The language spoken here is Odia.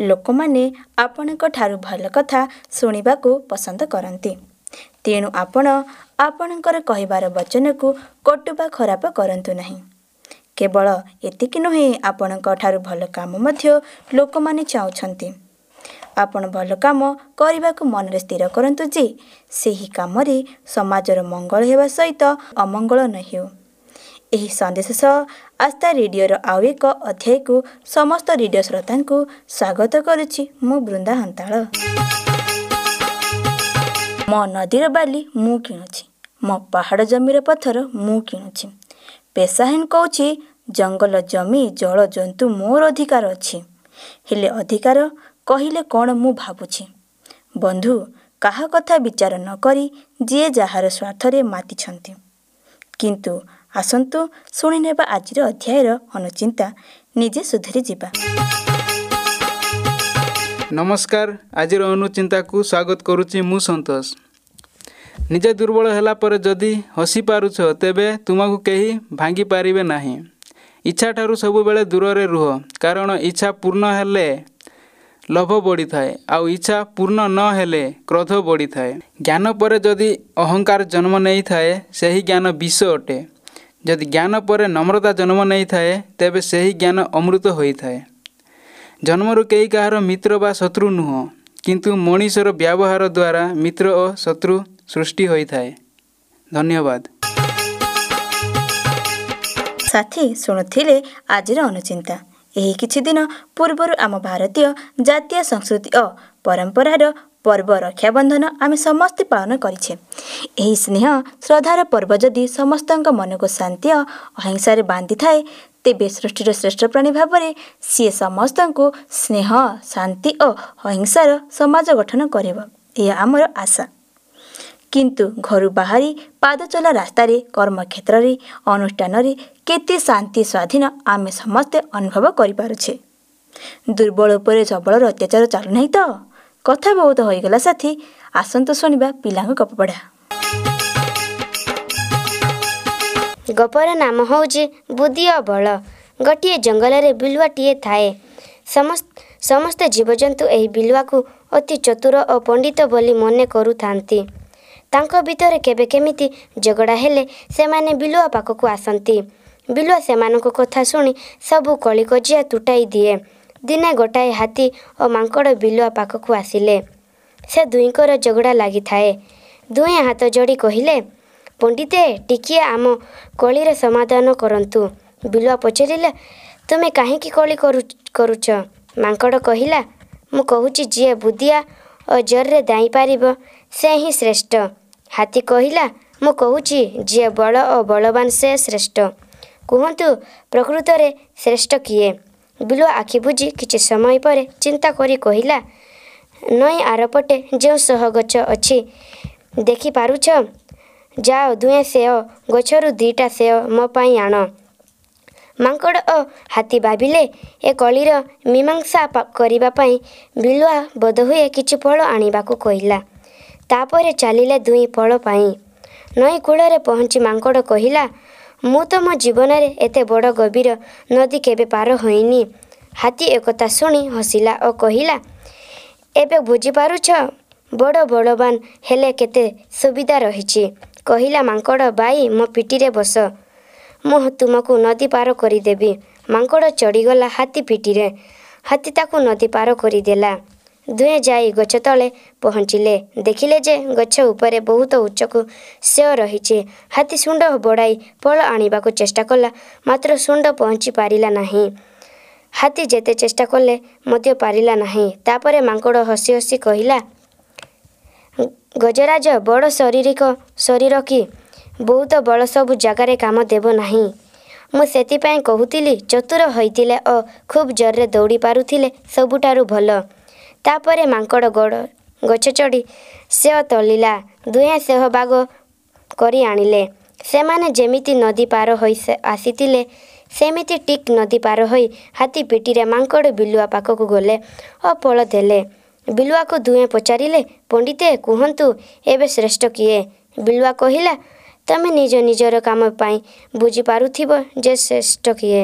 ଲୋକମାନେ ଆପଣଙ୍କ ଠାରୁ ଭଲ କଥା ଶୁଣିବାକୁ ପସନ୍ଦ କରନ୍ତି। ତେଣୁ ଆପଣ ଆପଣଙ୍କର କହିବାର ବଚନକୁ କଟୁ ବା ଖରାପ କରନ୍ତୁ ନାହିଁ। କେବଳ ଏତିକି ନୁହେଁ, ଆପଣଙ୍କ ଠାରୁ ଭଲ କାମ ମଧ୍ୟ ଲୋକମାନେ ଚାହୁଁଛନ୍ତି। ଆପଣ ଭଲ କାମ କରିବାକୁ ମନରେ ସ୍ଥିର କରନ୍ତୁ ଯେ ସେହି କାମରେ ସମାଜର ମଙ୍ଗଳ ହେବା ସହିତ ଅମଙ୍ଗଳ ନ ହେଉ। ଏହି ସନ୍ଦେଶ ସହ ଆସ୍ଥା ରେଡ଼ିଓର ଆଉ ଏକ ଅଧ୍ୟାୟକୁ ସମସ୍ତ ରେଡ଼ିଓ ଶ୍ରୋତାଙ୍କୁ ସ୍ୱାଗତ କରୁଛି ମୁଁ ବୃନ୍ଦା ହନ୍ତାଳ। ମୋ ନଦୀର ବାଲି ମୁଁ କିଣୁଛି, ମୋ ପାହାଡ଼ ଜମିର ପଥର ମୁଁ କିଣୁଛି। ପେଶାହୀନ କହୁଛି ଜଙ୍ଗଲ, ଜମି, ଜଳ, ଜନ୍ତୁ ମୋର ଅଧିକାର ଅଛି। ହେଲେ ଅଧିକାର କହିଲେ କ'ଣ ମୁଁ ଭାବୁଛି। ବନ୍ଧୁ, କାହା କଥା ବିଚାର ନ କରି ଯିଏ ଯାହାର ସ୍ୱାର୍ଥରେ ମାତିଛନ୍ତି। କିନ୍ତୁ ଆସନ୍ତୁ ଶୁଣିନେବା ଆଜିର ଅଧ୍ୟାୟର ଅନୁଚିନ୍ତା, ନିଜେ ସୁଧୁରି ଯିବା। ନମସ୍କାର, ଆଜିର ଅନୁଚିନ୍ତାକୁ ସ୍ୱାଗତ କରୁଛି ମୁଁ ସନ୍ତୋଷ। ନିଜେ ଦୁର୍ବଳ ହେଲା ପରେ ଯଦି ହସି ପାରୁଛ, ତେବେ ତୁମକୁ କେହି ଭାଙ୍ଗି ପାରିବେ ନାହିଁ। ଇଚ୍ଛା ଠାରୁ ସବୁବେଳେ ଦୂରରେ ରୁହ, କାରଣ ଇଚ୍ଛା ପୂର୍ଣ୍ଣ ହେଲେ ଲୋଭ ବଢ଼ିଥାଏ ଆଉ ଇଚ୍ଛା ପୂର୍ଣ୍ଣ ନ ହେଲେ କ୍ରୋଧ ବଢ଼ିଥାଏ। ଜ୍ଞାନ ପରେ ଯଦି ଅହଙ୍କାର ଜନ୍ମ ନେଇଥାଏ, ସେହି ଜ୍ଞାନ ବିଷ ଅଟେ। ଯଦି ଜ୍ଞାନ ପରେ ନମ୍ରତା ଜନ୍ମ ନେଇଥାଏ, ତେବେ ସେହି ଜ୍ଞାନ ଅମୃତ ହୋଇଥାଏ। ଜନ୍ମରୁ କେହି କାହାର ମିତ୍ର ବା ଶତ୍ରୁ ନୁହଁ, କିନ୍ତୁ ମଣିଷର ବ୍ୟବହାର ଦ୍ୱାରା ମିତ୍ର ଓ ଶତ୍ରୁ ସୃଷ୍ଟି ହୋଇଥାଏ। ଧନ୍ୟବାଦ। ସାଥୀ, ଶୁଣୁଥିଲେ ଆଜିର ଅନୁଚିନ୍ତା। ଏହି କିଛି ଦିନ ପୂର୍ବରୁ ଆମ ଭାରତୀୟ ଜାତୀୟ ସଂସ୍କୃତି ଓ ପରମ୍ପରାର ପର୍ବ ରକ୍ଷାବନ୍ଧନ ଆମେ ସମସ୍ତେ ପାଳନ କରିଛେ। ଏହି ସ୍ନେହ ଶ୍ରଦ୍ଧାର ପର୍ବ ଯଦି ସମସ୍ତଙ୍କ ମନକୁ ଶାନ୍ତି ଓ ଅହିଂସାରେ ବାନ୍ଧିଥାଏ, ତେବେ ସୃଷ୍ଟିର ଶ୍ରେଷ୍ଠ ପ୍ରାଣୀ ଭାବରେ ସିଏ ସମସ୍ତଙ୍କୁ ସ୍ନେହ, ଶାନ୍ତି ଓ ଅହିଂସାର ସମାଜ ଗଠନ କରିବ, ଏହା ଆମର ଆଶା। କିନ୍ତୁ ଘରୁ ବାହାରି ପାଦ ଚଲା ରାସ୍ତାରେ, କର୍ମକ୍ଷେତ୍ରରେ, ଅନୁଷ୍ଠାନରେ କେତେ ଶାନ୍ତି ସ୍ୱାଧୀନ ଆମେ ସମସ୍ତେ ଅନୁଭବ କରିପାରୁଛେ? ଦୁର୍ବଳ ଉପରେ ସବଳର ଅତ୍ୟାଚାର ଚାଲୁନାହିଁ ତ? କଥା ବହୁତ ହୋଇଗଲା ସାଥୀ, ଆସନ୍ତୁ ଶୁଣିବା ପିଲାଙ୍କ ଗପ ପଢ଼ା। ଗପର ନାମ ହେଉଛି ବୁଦ୍ଧି ଓ ବଳ। ଗୋଟିଏ ଜଙ୍ଗଲରେ ବିଲୁଆଟିଏ ଥାଏ। ସମସ୍ତ ଜୀବଜନ୍ତୁ ଏହି ବିଲୁଆକୁ ଅତି ଚତୁର ଓ ପଣ୍ଡିତ ବୋଲି ମନେ କରୁଥାନ୍ତି। ତାଙ୍କ ଭିତରେ କେବେ କେମିତି ଝଗଡ଼ା ହେଲେ ସେମାନେ ବିଲୁଆ ପାଖକୁ ଆସନ୍ତି। ବିଲୁଆ ସେମାନଙ୍କ କଥା ଶୁଣି ସବୁ କଳିକଜିଆ ତୁଟାଇ ଦିଏ। ଦିନେ ଗୋଟାଏ ହାତୀ ଓ ମାଙ୍କଡ଼ ବିଲୁଆ ପାଖକୁ ଆସିଲେ। ସେ ଦୁହିଁଙ୍କର ଝଗଡ଼ା ଲାଗିଥାଏ। ଦୁହେଁ ହାତ ଯୋଡ଼ି କହିଲେ, ପଣ୍ଡିତେ, ଟିକିଏ ଆମ କଳିର ସମାଧାନ କରନ୍ତୁ। ବିଲୁଆ ପଚାରିଲା, ତୁମେ କାହିଁକି କଳି କରୁଛ? ମାଙ୍କଡ଼ କହିଲା, ମୁଁ କହୁଛି ଯିଏ ବୁଦ୍ଧିଆ ଓ ଜୋରରେ ଧାଇଁପାରିବ ସେ ହିଁ ଶ୍ରେଷ୍ଠ। ହାତୀ କହିଲା, ମୁଁ କହୁଛି ଯିଏ ବଳ ଓ ବଳବାନ ସେ ଶ୍ରେଷ୍ଠ। କୁହନ୍ତୁ, ପ୍ରକୃତରେ ଶ୍ରେଷ୍ଠ କିଏ? ବିଲୁଆ ଆଖି ବୁଜି କିଛି ସମୟ ପରେ ଚିନ୍ତା କରି କହିଲା, ନଈ ଆରପଟେ ଯେଉଁ ସେଓ ଗଛ ଅଛି ଦେଖିପାରୁଛ? ଯାଅ, ଦୁହେଁ ସେଓ ଗଛରୁ 2ଟା ସେଓ ମୋ ପାଇଁ ଆଣ। ମାଙ୍କଡ଼ ଓ ହାତୀ ଭାବିଲେ ଏ କଳିର ମୀମାଂସା କରିବା ପାଇଁ ବିଲୁଆ ବୋଧହୁଏ କିଛି ଫଳ ଆଣିବାକୁ କହିଲା। ତାପରେ ଚାଲିଲେ ଦୁହେଁ ଫଳ ପାଇଁ। ନଈ କୂଳରେ ପହଞ୍ଚି ମାଙ୍କଡ଼ କହିଲା, ମୁଁ ତ ମୋ ଜୀବନରେ ଏତେ ବଡ଼ ଗଭୀର ନଦୀ କେବେ ପାର ହୋଇନି। ହାତୀ ଏକଥା ଶୁଣି ହସିଲା ଓ କହିଲା, ଏବେ ବୁଝିପାରୁଛ ବଡ଼ ବଳବାନ ହେଲେ କେତେ ସୁବିଧା ରହିଛି। କହିଲା ମାଙ୍କଡ଼, ଭାଇ, ମୋ ପିଠିରେ ବସ, ମୁଁ ତୁମକୁ ନଦୀ ପାର କରିଦେବି। ମାଙ୍କଡ଼ ଚଢ଼ିଗଲା ହାତୀ ପିଠିରେ। ହାତୀ ତାକୁ ନଦୀ ପାର କରିଦେଲା। ଦୁହେଁ ଯାଇ ଗଛ ତଳେ ପହଞ୍ଚିଲେ। ଦେଖିଲେ ଯେ ଗଛ ଉପରେ ବହୁତ ଉଚ୍ଚକୁ ସେଓ ରହିଛି। ହାତୀ ଶୁଣ୍ଢ ବଢ଼ାଇ ଫଳ ଆଣିବାକୁ ଚେଷ୍ଟା କଲା, ମାତ୍ର ଶୁଣ୍ଢ ପହଞ୍ଚି ପାରିଲା ନାହିଁ। ହାତୀ ଯେତେ ଚେଷ୍ଟା କଲେ ମଧ୍ୟ ପାରିଲା ନାହିଁ। ତାପରେ ମାଙ୍କଡ଼ ହସି ହସି କହିଲା, ଗଜରାଜ, ବଡ଼ ଶାରୀରିକ ଶରୀର କି ବହୁତ ବଳ ସବୁ ଜାଗାରେ କାମ ଦେବ ନାହିଁ। ମୁଁ ସେଥିପାଇଁ କହୁଥିଲି ଚତୁର ହୋଇଥିଲେ ଓ ଖୁବ୍ ଜୋରରେ ଦୌଡ଼ି ପାରୁଥିଲେ ସବୁଠାରୁ ଭଲ। ତାପରେ ମାଙ୍କଡ଼ ଗୋଡ଼ ଗଛ ଚଢ଼ି ସେଓ ତୋଳିଲା। ଦୁହେଁ ସେଓ ଭାଗ କରି ଆଣିଲେ। ସେମାନେ ଯେମିତି ନଦୀ ପାର ହୋଇ ଆସିଥିଲେ, ସେମିତି ଠିକ୍ ନଦୀ ପାର ହୋଇ ହାତୀ ପିଠିରେ ମାଙ୍କଡ଼ ବିଲୁଆ ପାଖକୁ ଗଲେ ଓ ଫଳ ଦେଲେ। ବିଲୁଆକୁ ଦୁହେଁ ପଚାରିଲେ, ପଣ୍ଡିତେ, କୁହନ୍ତୁ ଏବେ ଶ୍ରେଷ୍ଠ କିଏ? ବିଲୁଆ କହିଲା, ତମେ ନିଜ ନିଜର କାମ ପାଇଁ ବୁଝିପାରୁଥିବ ଯେ ଶ୍ରେଷ୍ଠ କିଏ।